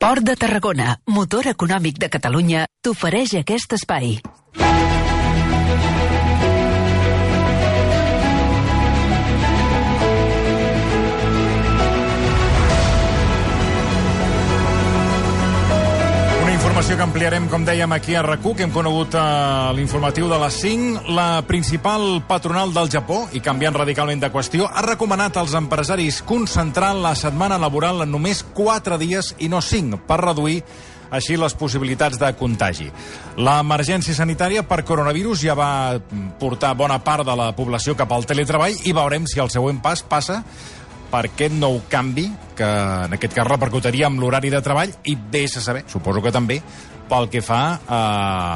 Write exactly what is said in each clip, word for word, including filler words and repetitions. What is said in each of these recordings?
Port de Tarragona, motor econòmic de Catalunya, t'ofereix aquest espai. Informació que ampliarem, com dèiem, aquí a RAC u, que hem conegut a l'informatiu de les cinc. La principal patronal del Japó, i canviant radicalment de qüestió, ha recomanat als empresaris concentrar la setmana laboral en només quatre dies i no cinc, per reduir així les possibilitats de contagi. L'emergència sanitària per coronavirus ja va portar bona part de la població cap al teletreball i veurem si el següent pas passa per aquest nou canvi, que en aquest cas repercutiria amb l'horari de treball i vés a saber, suposo que també, pel que fa a,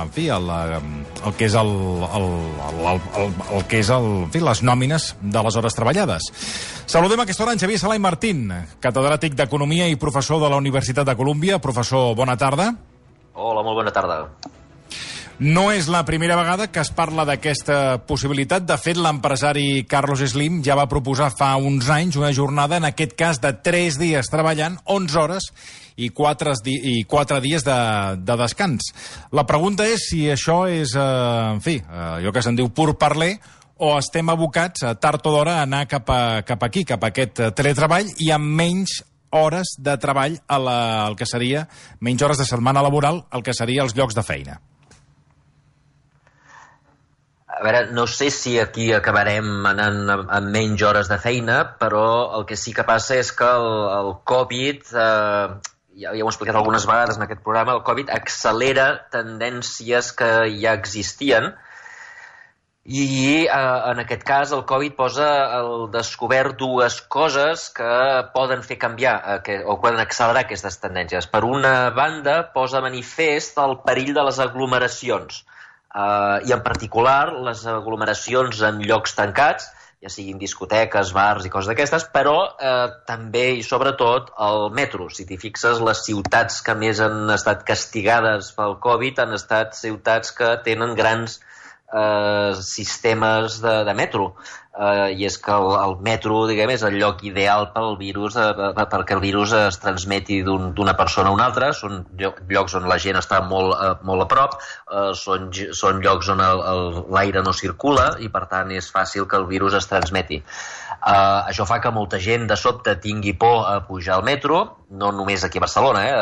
en fi, el, el que és el, el, el, el, el que és el, en fi, les nòmines de les hores treballades. Saludem a aquesta hora en Xavier Sala i Martín, catedràtic d'Economia i professor de la Universitat de Colúmbia. Professor, bona tarda. Hola, molt bona tarda. No és la primera vegada que es parla d'aquesta possibilitat. De fet, l'empresari Carlos Slim ja va proposar fa uns anys una jornada, en aquest cas de tres dies treballant, onze hores i quatre, i quatre dies de, de descans. La pregunta és si això és, eh, en fi, eh, allò que se'n diu pur parler, o estem abocats a tard o d'hora a anar cap, a, cap aquí, cap a aquest teletreball i amb menys hores de treball a la, el que seria, menys hores de setmana laboral, el que seria els llocs de feina. A veure, no sé si aquí acabarem anant amb menys hores de feina, però el que sí que passa és que el, el Covid, eh, ja, ja ho he explicat algunes vegades en aquest programa, el Covid accelera tendències que ja existien i eh, en aquest cas el Covid posa al descobert dues coses que poden fer canviar eh, que, o poden accelerar aquestes tendències. Per una banda, posa manifest el perill de les aglomeracions. Uh, i en particular les aglomeracions en llocs tancats, ja siguin discoteques, bars i coses d'aquestes, però uh, també i sobretot el metro. Si t'hi fixes, les ciutats que més han estat castigades pel Covid han estat ciutats que tenen grans uh, sistemes de, de metro. Uh, I és que el, el metro, diguem, és el lloc ideal pel virus, uh, perquè el virus es transmeti d'una un, persona a una altra. Són llocs on la gent està molt, uh, molt a prop, uh, són, són llocs on l'aire no circula i per tant és fàcil que el virus es transmeti. Uh, això fa que molta gent de sobte tingui por a pujar al metro, no només aquí a Barcelona, eh?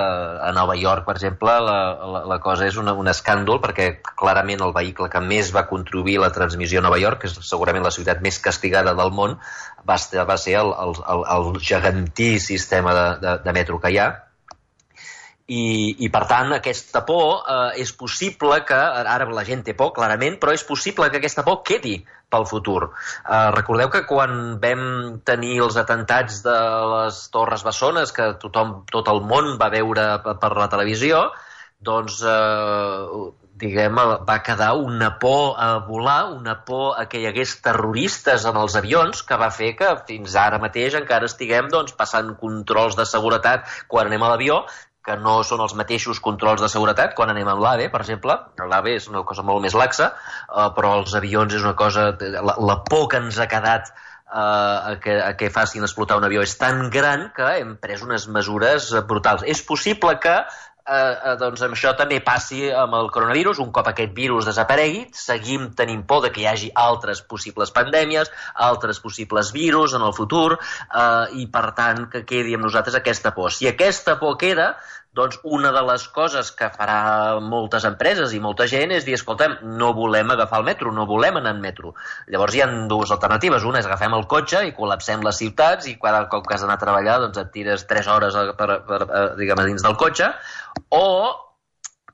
A Nova York, per exemple, la, la, la cosa és una, un escàndol, perquè clarament el vehicle que més va contribuir a la transmissió a Nova York, que és segurament la ciutat més castigada del món, va ser, va ser el, el, el, el gegantí sistema de, de, de metro que hi ha. I, i per tant aquesta por eh, és possible que, ara la gent té por clarament, però és possible que aquesta por quedi pel futur. Eh, recordeu que quan vam tenir els atentats de les Torres Bessones, que tothom, tot el món va veure per la televisió, doncs eh, diguem, va quedar una por a volar, una por a que hi hagués terroristes en els avions, que va fer que fins ara mateix encara estiguem doncs, passant controls de seguretat quan anem a l'avió, que no són els mateixos controls de seguretat quan anem amb l'AVE, per exemple. L'AVE és una cosa molt més laxa, eh, però els avions és una cosa... La, la por que ens ha quedat eh, a, que, a que facin explotar un avió és tan gran que hem pres unes mesures brutals. És possible que eh, eh, doncs això també passi amb el coronavirus. Un cop aquest virus desaparegui, seguim tenint por de que hi hagi altres possibles pandèmies, altres possibles virus en el futur, eh, i per tant que quedi amb nosaltres aquesta por. Si aquesta por queda, doncs una de les coses que farà moltes empreses i molta gent és dir, escolta'm, no volem agafar el metro, no volem anar en metro. Llavors hi ha dues alternatives. Una és agafem el cotxe i col·lapsem les ciutats i cada cop que has d'anar a treballar doncs et tires tres hores per, per, per, diguem, dins del cotxe, o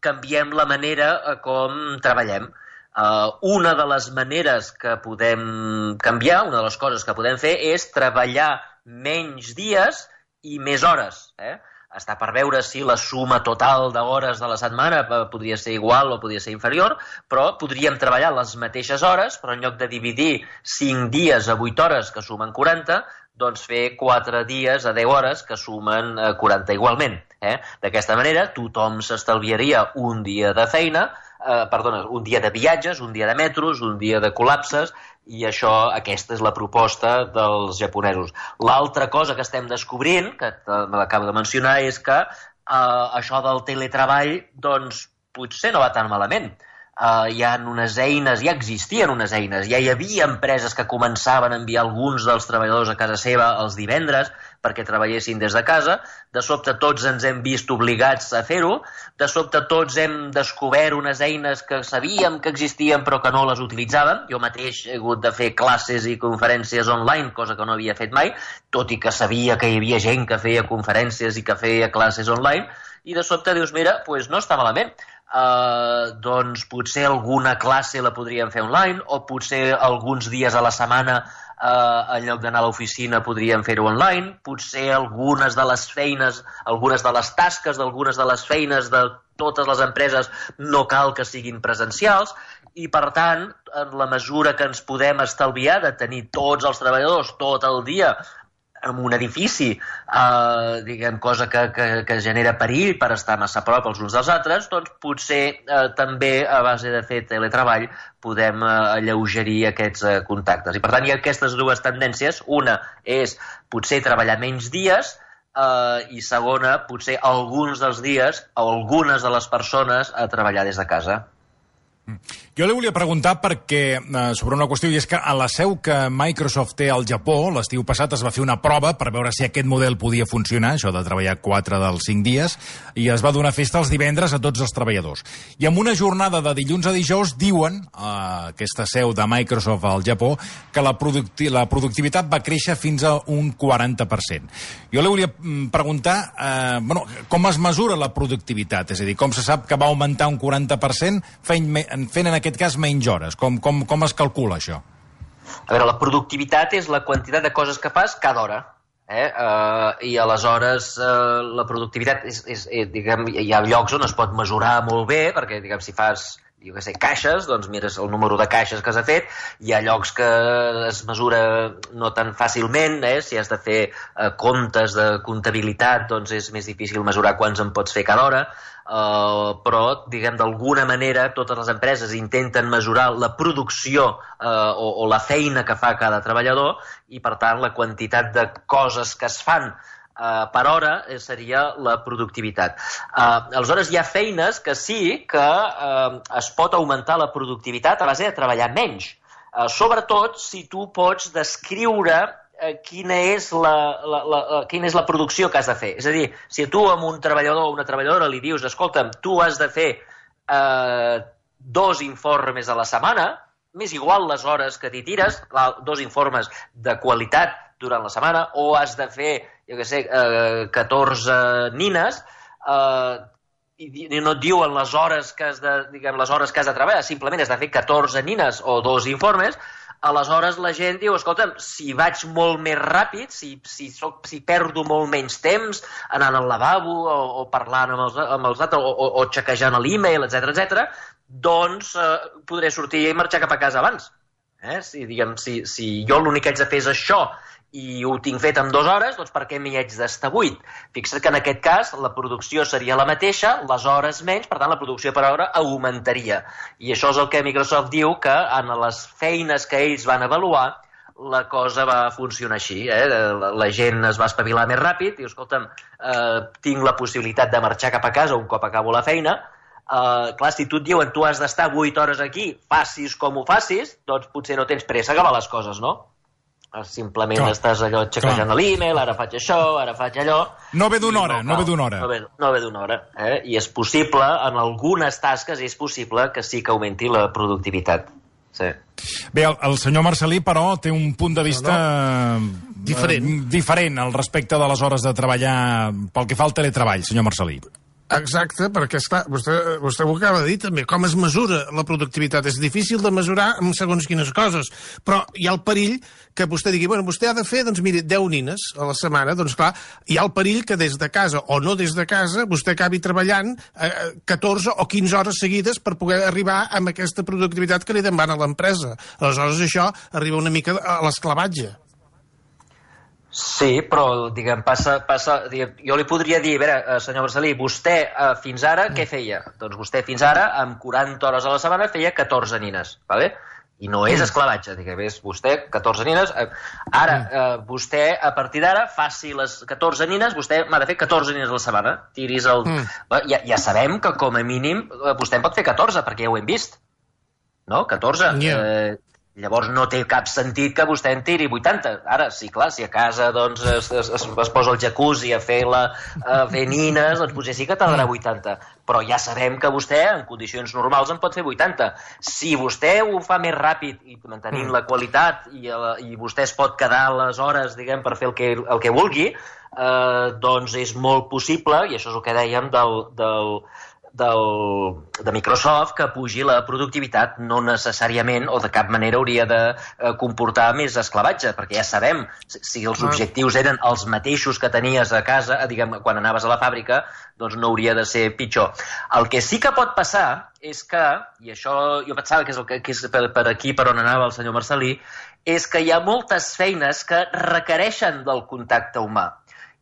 canviem la manera com treballem. Uh, una de les maneres que podem canviar, una de les coses que podem fer és treballar menys dies i més hores, eh? Està per veure si la suma total d'hores de la setmana podria ser igual o podria ser inferior, però podríem treballar les mateixes hores, però en lloc de dividir cinc dies a vuit hores, que sumen quaranta, doncs fer quatre dies a deu hores, que sumen quaranta igualment. Eh? D'aquesta manera, tothom s'estalviaria un dia de feina, eh, perdona, un dia de viatges, un dia de metros, un dia de col·lapses, i això, aquesta és la proposta dels japonesos. L'altra cosa que estem descobrint, que me l'acabo de mencionar, és que uh, això del teletreball, doncs, potser no va tan malament. Uh, hi ha unes eines, ja existien unes eines, ja hi havia empreses que començaven a enviar alguns dels treballadors a casa seva els divendres perquè treballessin des de casa. De sobte tots ens hem vist obligats a fer-ho, de sobte tots hem descobert unes eines que sabíem que existien però que no les utilitzàvem. Jo mateix he hagut de fer classes i conferències online, cosa que no havia fet mai, tot i que sabia que hi havia gent que feia conferències i que feia classes online, i de sobte dius, mira, doncs no està malament. Uh, doncs potser alguna classe la podríem fer online, o potser alguns dies a la setmana uh, en lloc d'anar a l'oficina podríem fer-ho online, potser algunes de les feines, algunes de les tasques d'algunes de les feines de totes les empreses no cal que siguin presencials, i per tant, en la mesura que ens podem estalviar de tenir tots els treballadors tot el dia en un edifici, eh, diguem, cosa que, que, que genera perill per estar massa a prop els uns dels altres, doncs potser eh, també a base de fer teletreball podem eh, alleugerir aquests eh, contactes. I per tant hi ha aquestes dues tendències. Una és potser treballar menys dies, eh, i segona, potser alguns dels dies o algunes de les persones a treballar des de casa. Jo li volia preguntar perquè, eh, sobre una qüestió, i és que a la seu que Microsoft té al Japó, l'estiu passat es va fer una prova per veure si aquest model podia funcionar, això de treballar quatre dels cinc dies, i es va donar festa els divendres a tots els treballadors. I amb una jornada de dilluns a dijous diuen, a aquesta seu de Microsoft al Japó, que la, producti la productivitat va créixer fins a un quaranta per cent. Jo li volia preguntar, eh, bueno, com es mesura la productivitat? És a dir, com se sap que va augmentar un quaranta per cent fent, fent en aquest cas menys hores? Com, com, com es calcula això? A veure, la productivitat és la quantitat de coses que fas cada hora. Eh? Uh, I aleshores uh, la productivitat és, és, és, diguem, hi ha llocs on es pot mesurar molt bé, perquè diguem, si fas jo què sé, caixes, doncs mires el número de caixes que has fet. Hi ha llocs que es mesura no tan fàcilment, eh? Si has de fer eh, comptes de comptabilitat, doncs és més difícil mesurar quants en pots fer cada hora, uh, però, diguem, d'alguna manera totes les empreses intenten mesurar la producció uh, o, o la feina que fa cada treballador, i per tant la quantitat de coses que es fan Uh, per hora seria la productivitat. Uh, aleshores, hi ha feines que sí que uh, es pot augmentar la productivitat a base de treballar menys. Uh, sobretot si tu pots descriure uh, quina, és la, la, la, uh, quina és la producció que has de fer. És a dir, si tu a un treballador o una treballadora li dius, escolta'm, tu has de fer uh, dos informes a la setmana, m'és igual les hores que t'hi tires, clar, dos informes de qualitat durant la setmana, o has de fer, jo què sé, eh, catorze nines, eh, i no et diuen les hores que has de, diguem, les hores que has de treballar, simplement has de fer catorze nines o dos informes. Aleshores la gent diu, escolta'm, si vaig molt més ràpid, si, si, soc, si perdo molt menys temps anant al lavabo o, o parlant amb els, amb els altres, o, o, o xequejant l'e-mail, etcètera, etcètera, doncs eh, podré sortir i marxar cap a casa abans. Eh? Si, diguem, si, si jo l'únic que haig de fer és això i ho tinc fet en dues hores, doncs per què m'hi haig d'estar vuit? Fixa't que en aquest cas la producció seria la mateixa, les hores menys, per tant la producció per hora augmentaria. I això és el que Microsoft diu que en les feines que ells van avaluar la cosa va funcionar així. Eh? La, la gent es va espavilar més ràpid, diu, escolta'm, eh, tinc la possibilitat de marxar cap a casa un cop acabo la feina. Uh, clar, si tu et diuen tu has d'estar vuit hores aquí, facis com ho facis, doncs potser no tens pressa a acabar les coses, no? Simplement clar, estàs allò xecejant l'e-mail, ara faig això, ara faig allò... No ve d'una hora, no, no ve d'una hora. No ve, no ve d'una hora, eh? I és possible, en algunes tasques és possible que sí que augmenti la productivitat. Sí. Bé, el, el senyor Marcel·lí, però, té un punt de vista no, no. Diferent. Eh, diferent al respecte de les hores de treballar pel que fa al teletreball, senyor Marcel·lí. Exacte, perquè, esclar, vostè, vostè ho acaba de dir també, com es mesura la productivitat. És difícil de mesurar amb segons quines coses, però hi ha el perill que vostè digui, bueno, vostè ha de fer, doncs miri, deu nines a la setmana, doncs clar, hi ha el perill que des de casa o no des de casa vostè acabi treballant eh, catorze o quinze hores seguides per poder arribar amb aquesta productivitat que li demana l'empresa. Aleshores això arriba una mica a l'esclavatge. Sí, però, diguem, passa... passa diguem, jo li podria dir, a veure, senyor Marcel·lí, vostè eh, fins ara què feia? Doncs vostè fins ara, amb quaranta hores a la setmana, feia catorze nines, ¿vale? I no és esclavatge. Digues, vostè, catorze nines... Ara, eh, vostè, a partir d'ara, faci les catorze nines, vostè m'ha de fer catorze nines a la setmana. Tiris el... Mm. Ja, ja sabem que, com a mínim, vostè en pot fer catorze, perquè ja ho hem vist. No? catorze. Yeah. Eh, llavors no té cap sentit que vostè en tiri vuitanta. Ara, sí, clar, si a casa doncs, es, es, es posa el jacuzzi a fer, la, a fer nines, doncs potser sí que tardarà vuitanta. Però ja sabem que vostè, en condicions normals, en pot fer vuitanta. Si vostè ho fa més ràpid i mantenint la qualitat i, i vostè es pot quedar les hores, diguem, per fer el que, el que vulgui, eh, doncs és molt possible, i això és el que dèiem del... del Del, de Microsoft, que pugi la productivitat, no necessàriament o de cap manera hauria de eh, comportar més esclavatge, perquè ja sabem, si els objectius eren els mateixos que tenies a casa, diguem, quan anaves a la fàbrica, doncs no hauria de ser pitjor. El que sí que pot passar és que, i això jo pensava que és, el que, que és per, per aquí per on anava el senyor Marcelí, és que hi ha moltes feines que requereixen del contacte humà.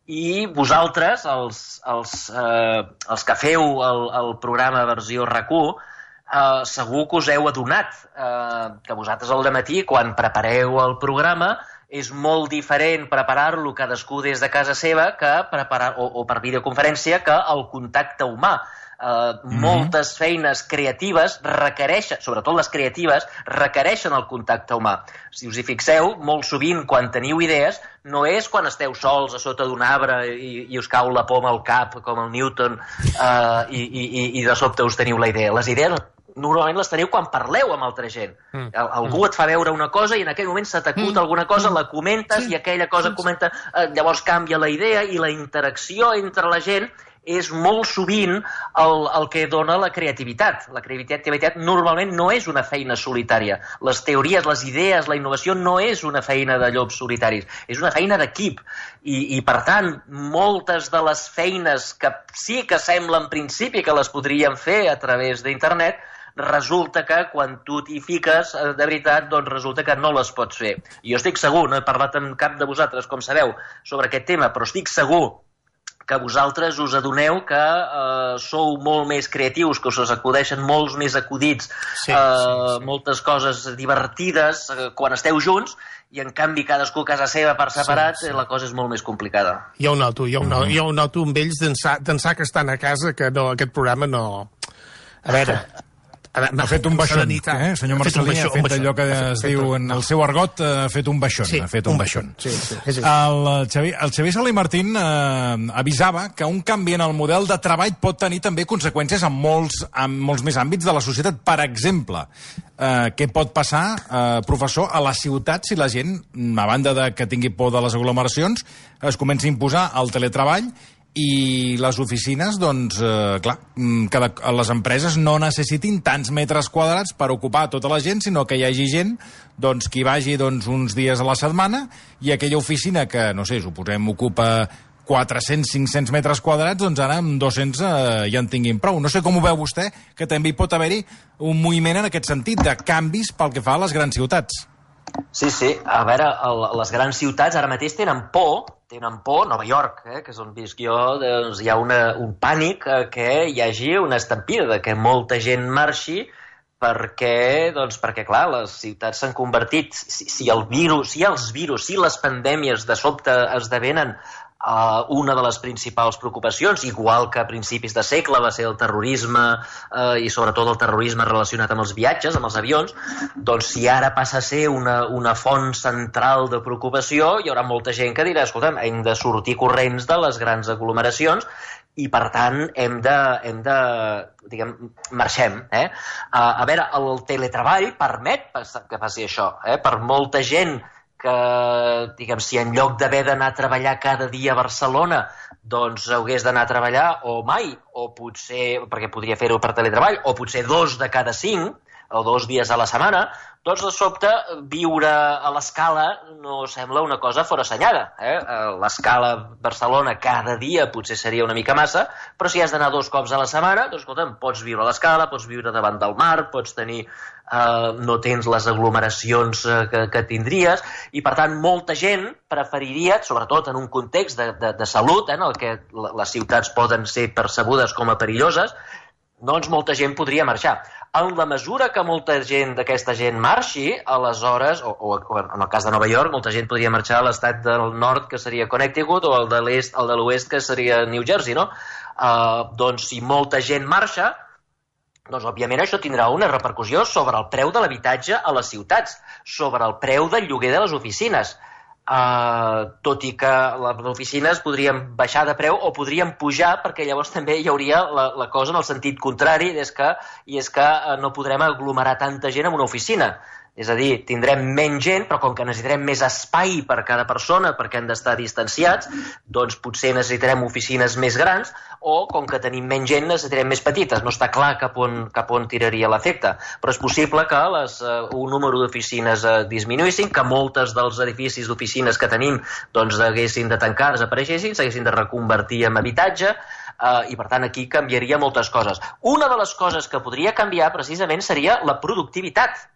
I vosaltres, els, els, eh, els que feu el, el programa versió RAC u, eh, segur que us heu adonat eh, que vosaltres al dematí, quan prepareu el programa, és molt diferent preparar-lo cadascú des de casa seva que preparar, o, o per videoconferència, que el contacte humà. Uh, mm-hmm. Moltes feines creatives requereixen, sobretot les creatives, requereixen el contacte humà. Si us hi fixeu, molt sovint quan teniu idees no és quan esteu sols a sota d'un arbre i, i us cau la poma al cap com el Newton uh, i, i, i de sobte us teniu la idea. Les idees normalment les teniu quan parleu amb altra gent. Mm. Algú et fa veure una cosa i en aquell moment se t'acut mm. alguna cosa, la comentes, sí, i aquella cosa sí, comenta, eh, llavors canvia la idea i la interacció entre la gent és molt sovint el, el que dona la creativitat. La creativitat normalment no és una feina solitària. Les teories, les idees, la innovació no és una feina de llops solitaris, és una feina d'equip. I, i per tant, moltes de les feines que sí que sembla en principi que les podríem fer a través d'internet, resulta que quan tu t'hi fiques, de veritat, doncs resulta que no les pots fer. I jo estic segur, no he parlat amb cap de vosaltres, com sabeu, sobre aquest tema, però estic segur que vosaltres us adoneu que eh, sou molt més creatius, que us acudeixen molts més acudits, sí, eh, sí, sí. moltes coses divertides eh, quan esteu junts, i en canvi cadascú a casa seva per separat, sí, sí. la cosa és molt més complicada. Ja ho noto, ja ho noto, ja ho noto amb ells d'ençà que estan a casa, que no, aquest programa no... A veure... Ha fet un baixón, eh? Senyor Marcelí, ha fet allò que es diu en el seu argot, ha fet un baixón, ha fet un baixón. El Xavier, el Xavier Salé Martín eh, avisava que un canvi en el model de treball pot tenir també conseqüències en molts, en molts més àmbits de la societat. Per exemple, eh, què pot passar, eh, professor, a la ciutat si la gent, a banda de que tingui por de les aglomeracions, es comença a imposar el teletreball i les oficines, doncs, eh, clar, que les empreses no necessitin tants metres quadrats per ocupar tota la gent, sinó que hi hagi gent doncs, que hi vagi doncs, uns dies a la setmana i aquella oficina que, no sé, suposem, ocupa quatre-cents a cinc-cents metres quadrats, doncs ara amb dos-cents eh, ja en tinguin prou. No sé com ho veu vostè, que també hi pot haver-hi un moviment en aquest sentit de canvis pel que fa a les grans ciutats. Sí, sí. A veure, el, les grans ciutats ara mateix tenen por, tenen por, Nova York, eh, que és on visc jo, doncs hi ha una, un pànic eh, que hi hagi una estampida, de que molta gent marxi perquè, doncs, perquè clar, les ciutats s'han convertit, si, si el virus, si els virus, si les pandèmies de sobte esdevenen Uh, una de les principals preocupacions, igual que a principis de segle va ser el terrorisme uh, i sobretot el terrorisme relacionat amb els viatges, amb els avions, doncs si ara passa a ser una, una font central de preocupació, hi haurà molta gent que dirà, escolta'm, hem de sortir corrents de les grans aglomeracions i per tant hem de, hem de diguem, marxem. Eh? Uh, a veure, el teletreball permet que passi això, eh? Per molta gent que, diguem, si en lloc d'haver d'anar a treballar cada dia a Barcelona, doncs hagués d'anar a treballar o mai, o potser, perquè podria fer-ho per teletreball, o potser dos de cada cinc, o dos dies a la setmana, doncs de sobte viure a l'Escala no sembla una cosa forassenyada. Eh? L'Escala Barcelona cada dia potser seria una mica massa, però si has d'anar dos cops a la setmana, doncs escolta'm, pots viure a l'Escala, pots viure davant del mar, pots tenir, eh, no tens les aglomeracions eh, que, que tindries, i per tant molta gent preferiria, sobretot en un context de, de, de salut, eh, en el que les ciutats poden ser percebudes com a perilloses, doncs molta gent podria marxar. En la mesura que molta gent d'aquesta gent marxi, aleshores, o, o, o en el cas de Nova York, molta gent podria marxar a l'estat del nord, que seria Connecticut, o el de l'est, el de l'oest, que seria New Jersey, no? Uh, doncs si molta gent marxa, doncs òbviament això tindrà una repercussió sobre el preu de l'habitatge a les ciutats, sobre el preu del lloguer de les oficines. Uh, tot i que les oficines podrien baixar de preu o podrien pujar, perquè llavors també hi hauria la, la cosa en el sentit contrari, és que, i és que uh, no podrem aglomerar tanta gent en una oficina. És a dir, tindrem menys gent, però com que necessitarem més espai per cada persona perquè han d'estar distanciats, doncs potser necessitarem oficines més grans, o com que tenim menys gent necessitarem més petites. No està clar cap on, cap on tiraria l'efecte, però és possible que les, uh, un número d'oficines uh, disminuïssin, que moltes dels edificis d'oficines que tenim doncs haguessin de tancar, desapareixessin, s'haguessin de reconvertir en habitatge, uh, i per tant aquí canviaria moltes coses. Una de les coses que podria canviar precisament seria la productivitat.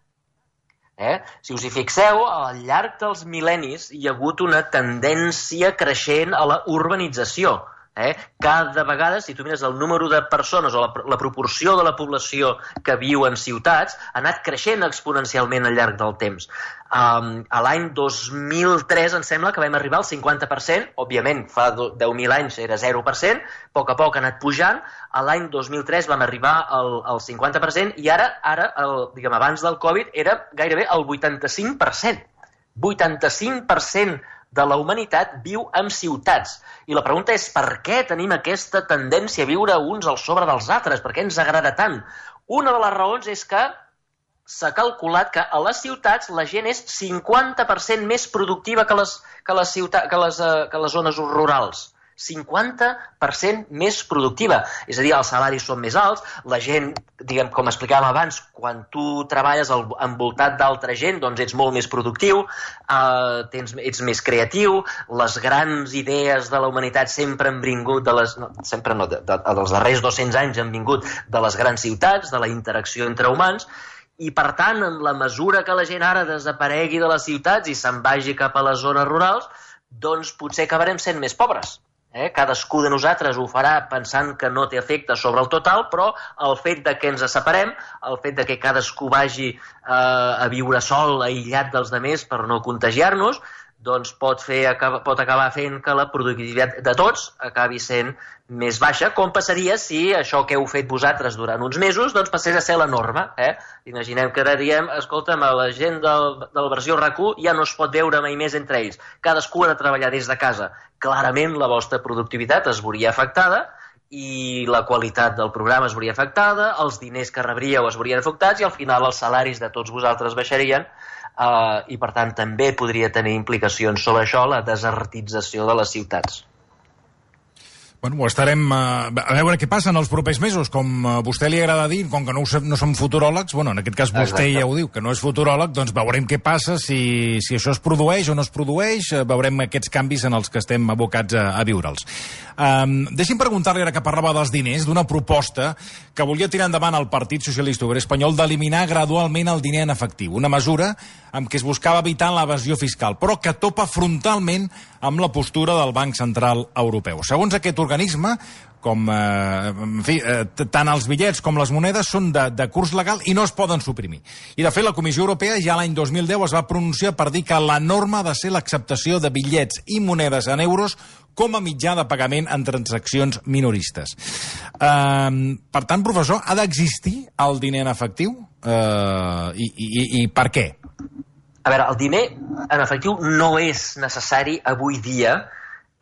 Eh? Si us hi fixeu, al llarg dels mil·lennis hi ha hagut una tendència creixent a la urbanització. Eh? Cada vegada, si tu mires el número de persones o la, la proporció de la població que viu en ciutats, ha anat creixent exponencialment al llarg del temps. Um, a l'any dos mil tres em sembla que vam arribar al cinquanta per cent, òbviament fa deu mil anys era zero per cent, a poc a poc ha anat pujant, a l'any dos mil tres vam arribar al, al cinquanta per cent i ara, ara el, diguem, abans del Covid era gairebé el vuitanta-cinc per cent. vuitanta-cinc per cent de la humanitat viu en ciutats. I la pregunta és per què tenim aquesta tendència a viure uns al sobre dels altres? Per què ens agrada tant? Una de les raons és que s'ha calculat que a les ciutats la gent és cinquanta per cent més productiva que les, que les, ciutats, que les, uh, que les zones rurals. cinquanta per cent més productiva. És a dir, els salaris són més alts, la gent, diguem, com explicàvem abans, quan tu treballes al, envoltat d'altra gent, doncs ets molt més productiu, eh, tens, ets més creatiu, les grans idees de la humanitat sempre han vingut, de les, no, sempre no, de, de, dels darrers dos-cents anys han vingut de les grans ciutats, de la interacció entre humans, i per tant, en la mesura que la gent ara desaparegui de les ciutats i se'n vagi cap a les zones rurals, doncs potser acabarem sent més pobres. Eh? Cadascú de nosaltres ho farà pensant que no té efecte sobre el total, però el fet de que ens separem, el fet de que cadascú vagi eh, a viure sol, aïllat dels altres per no contagiar-nos, doncs pot, fer, pot acabar fent que la productivitat de tots acabi sent més baixa, com passaria si això que heu fet vosaltres durant uns mesos doncs passés a ser la norma. Eh? Imaginem que ara diem, escolta'm, la gent del, de la versió RAC u ja no es pot veure mai més entre ells. Cadascú ha de treballar des de casa. Clarament la vostra productivitat es veuria afectada i la qualitat del programa es veuria afectada, els diners que rebríeu es veurien afectats i al final els salaris de tots vosaltres baixarien. Uh, i per tant també podria tenir implicacions sobre això, la desertització de les ciutats. Bueno, ho estarem uh, a veure què passa en els propers mesos. Com a vostè li agrada dir, com que no, no som futuròlegs, bueno, en aquest cas vostè Exacte. Ja ho diu, que no és futuròleg, doncs veurem què passa, si, si això es produeix o no es produeix, veurem aquests canvis en els que estem abocats a, a viure'ls. Um, deixi'm preguntar-li, ara que parlava dels diners, d'una proposta que volia tirar endavant el Partit Socialista Obrer Espanyol d'eliminar gradualment el diner en efectiu, una mesura amb què es buscava evitar l'evasió fiscal, però que topa frontalment amb la postura del Banc Central Europeu. Segons aquest organisme, com, eh, en fi, eh, tant els bitllets com les monedes són de, de curs legal i no es poden suprimir. I, de fet, la Comissió Europea ja l'any dos mil deu es va pronunciar per dir que la norma ha de ser l'acceptació de bitllets i monedes en euros com a mitjà de pagament en transaccions minoristes. Eh, per tant, professor, ha d'existir el diner en efectiu? Eh, i, i, I per què? A veure, el diner en efectiu no és necessari avui dia,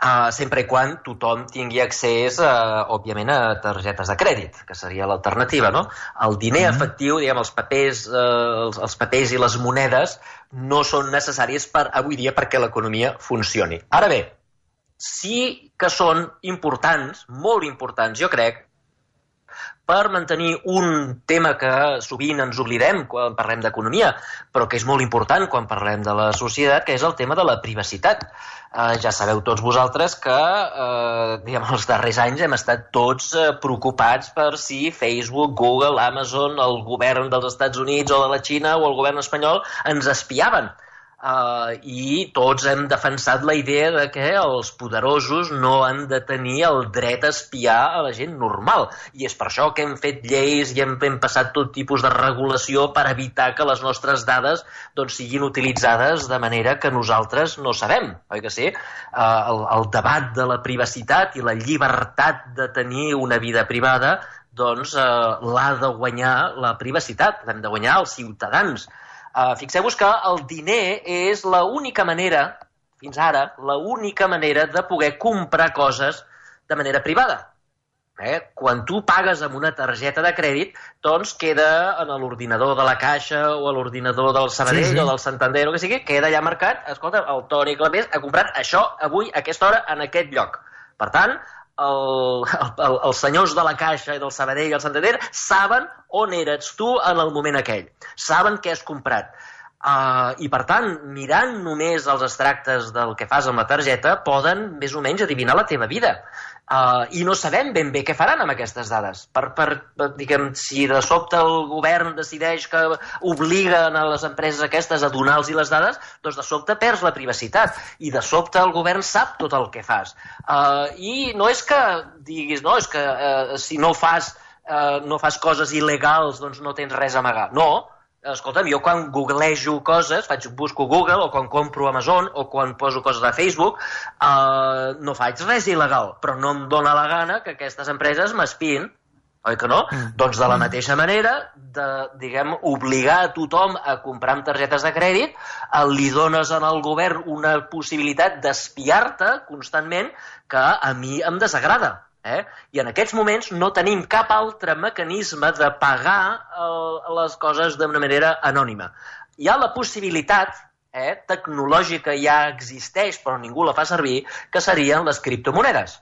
Uh, sempre i quan tothom tingui accés, uh, òbviament, a targetes de crèdit, que seria l'alternativa, no? El diner mm-hmm. efectiu, diguem, els papers, uh, els, els papers i les monedes no són necessaris per avui dia perquè l'economia funcioni. Ara bé, sí que són importants, molt importants, jo crec, per mantenir un tema que sovint ens oblidem quan parlem d'economia, però que és molt important quan parlem de la societat, que és el tema de la privacitat. Uh, ja sabeu tots vosaltres que uh, diguem, els darrers anys hem estat tots uh, preocupats per si Facebook, Google, Amazon, el govern dels Estats Units o de la Xina o el govern espanyol ens espiaven. Uh, i tots hem defensat la idea de que els poderosos no han de tenir el dret a espiar a la gent normal, i és per això que hem fet lleis i hem, hem passat tot tipus de regulació per evitar que les nostres dades doncs, siguin utilitzades de manera que nosaltres no sabem, oi que sí? Uh, el, el debat de la privacitat i la llibertat de tenir una vida privada doncs uh, l'ha de guanyar la privacitat, l'hem de guanyar els ciutadans. Uh, fixeu-vos que el diner és l'única manera, fins ara, l'única manera de poder comprar coses de manera privada. Eh? Quan tu pagues amb una targeta de crèdit, doncs queda en l'ordinador de la Caixa o a l'ordinador del Sabadell sí, sí. o del Santander o que sigui, queda allà marcat, escolta, el Toni Clapés ha comprat això avui, a aquesta hora, en aquest lloc. Per tant, El, el, els senyors de la Caixa i del Sabadell i el Santander saben on eres tu en el moment aquell, saben què has comprat. Uh, I per tant, mirant només els extractes del que fas amb la targeta, poden més o menys adivinar la teva vida. Uh, I no sabem ben bé què faran amb aquestes dades. Per, per, diguem, si de sobte el govern decideix que obliguen a les empreses aquestes a donar-los les dades, doncs de sobte perds la privacitat i de sobte el govern sap tot el que fas. Uh, I no és que diguis, no, és que uh, si no fas, uh, no fas coses il·legals doncs no tens res a amagar. No. Escolta'm, jo quan googlejo coses, faig, busco Google, o quan compro Amazon, o quan poso coses a Facebook, eh, no faig res il·legal, però no em dóna la gana que aquestes empreses m'espiïn, oi que no? Mm. Doncs de la mateixa manera, de, diguem, obligar a tothom a comprar amb targetes de crèdit, eh, li dones al govern una possibilitat d'espiar-te constantment que a mi em desagrada. Eh? I en aquests moments no tenim cap altre mecanisme de pagar eh, les coses d'una manera anònima. Hi ha la possibilitat, eh, tecnològica ja existeix però ningú la fa servir, que serien les criptomonedes.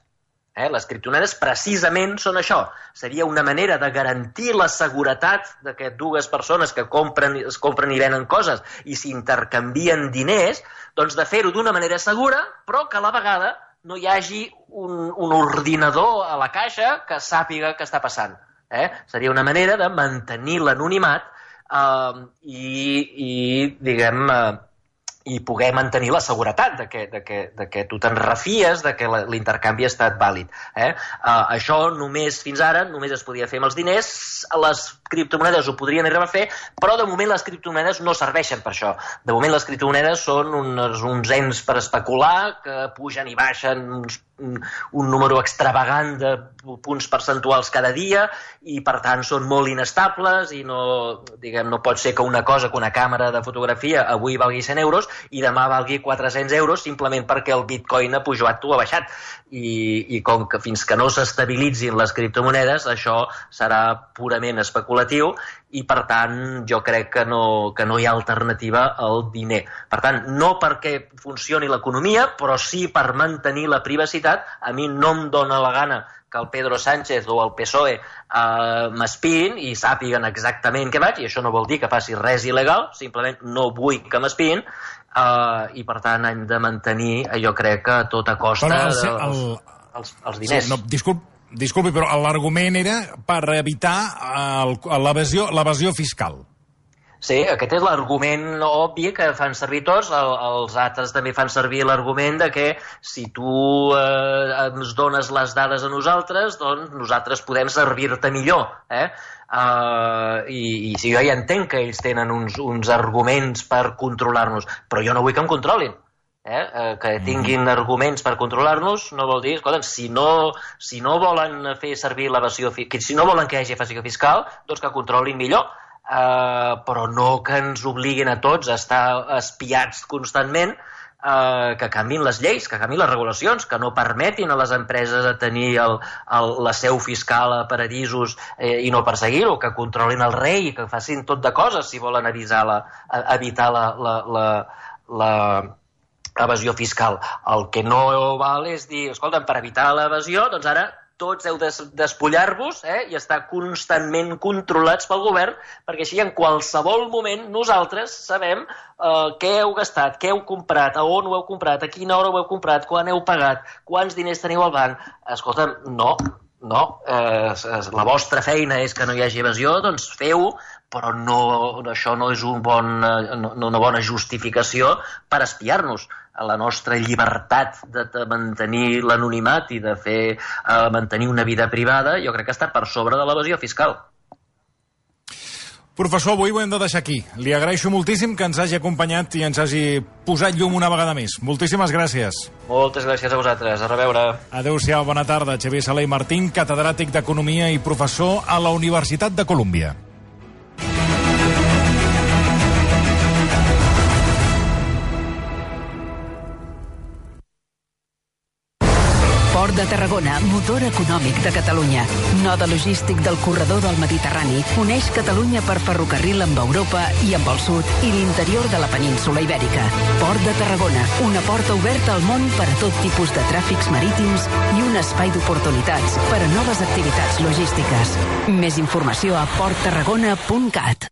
Eh? Les criptomonedes precisament són això. Seria una manera de garantir la seguretat de que dues persones que compren, es compren i venen coses i s'intercanvien diners, doncs de fer-ho d'una manera segura, però que a la vegada no hi hagi un, un ordinador a la caixa que sàpiga què està passant. Eh? Seria una manera de mantenir l'anonimat eh, i, i, diguem, eh, i poder mantenir la seguretat de que, de que, de que tu te'n refies de que l'intercanvi ha estat vàlid. Eh? Uh, això només, fins ara, només es podia fer amb els diners, les criptomonedes ho podrien arribar a fer, però de moment les criptomonedes no serveixen per això. De moment les criptomonedes són uns, uns ens per especular, que pugen i baixen uns, un, un número extravagant de punts percentuals cada dia i per tant són molt inestables i no, diguem, no pot ser que una cosa, que una càmera de fotografia avui valgui cent euros i demà valgui quatre-cents euros simplement perquè el bitcoin ha pujat o ha baixat. I, i com que fins que no s'estabilitzin les criptomonedes això serà purament especulatiu i per tant jo crec que no, que no hi ha alternativa al diner. Per tant, no perquè funcioni l'economia, però sí per mantenir la privacitat. A mi no em dóna la gana que el Pedro Sánchez o el P S O E eh, m'espiïn i sàpiguen exactament què vaig, i això no vol dir que faci res il·legal, simplement no vull que m'espiïn, eh, i per tant hem de mantenir, jo crec que a tota costa el, els, el, els, els diners. Sí, no, disculp, disculpi, però l'argument era per evitar l'evasió fiscal. Sí, aquest és l'argument obvi que fan servir tots. El, els altres també fan servir l'argument de que si tu eh, ens dones les dades a nosaltres, doncs nosaltres podem servir-te millor. Eh? Uh, i, i si jo ja entenc que ells tenen uns, uns arguments per controlar-nos, però jo no vull que em controlin. Eh? Uh, que tinguin arguments per controlar-nos no vol dir, escolta, si no, si no volen fer servir l'evasió fiscal, si no volen que hi hagi evasió fiscal, doncs que controlin millor. Uh, però no que ens obliguin a tots a estar espiats constantment, uh, que canvin les lleis, que canvin les regulacions, que no permetin a les empreses a tenir el, el, la seu fiscal a paradisos eh, i no perseguir-ho, que controlin el rei, que facin tot de coses si volen avisar la, evitar la, la, la, la evasió fiscal. El que no val és dir, escolta, per evitar l'evasió, doncs ara tots heu de despullar-vos eh, i estar constantment controlats pel govern, perquè així en qualsevol moment nosaltres sabem eh, què heu gastat, què heu comprat, a on ho heu comprat, a quina hora ho heu comprat, quan heu pagat, quants diners teniu al banc. Escolta, no, no, eh, la vostra feina és que no hi hagi evasió, doncs feu-ho, però no, això no és un bon, no, una bona justificació per espiar-nos. La nostra llibertat de, de mantenir l'anonimat i de fer eh, mantenir una vida privada, jo crec que està per sobre de l'evasió fiscal. Professor, avui ho hem de deixar aquí. Li agraeixo moltíssim que ens hagi acompanyat i ens hagi posat llum una vegada més. Moltíssimes gràcies. Moltes gràcies a vosaltres. A reveure. Adéu-siau, bona tarda. Xavier Sala i Martín, catedràtic d'Economia i professor a la Universitat de Colúmbia. Port de Tarragona, motor econòmic de Catalunya. Node logístic del corredor del Mediterrani, uneix Catalunya per ferrocarril amb Europa i amb el sud i l'interior de la península Ibèrica. Port de Tarragona, una porta oberta al món per a tot tipus de tràfics marítims i un espai d'oportunitats per a noves activitats logístiques. Més informació a port tarragona punt cat.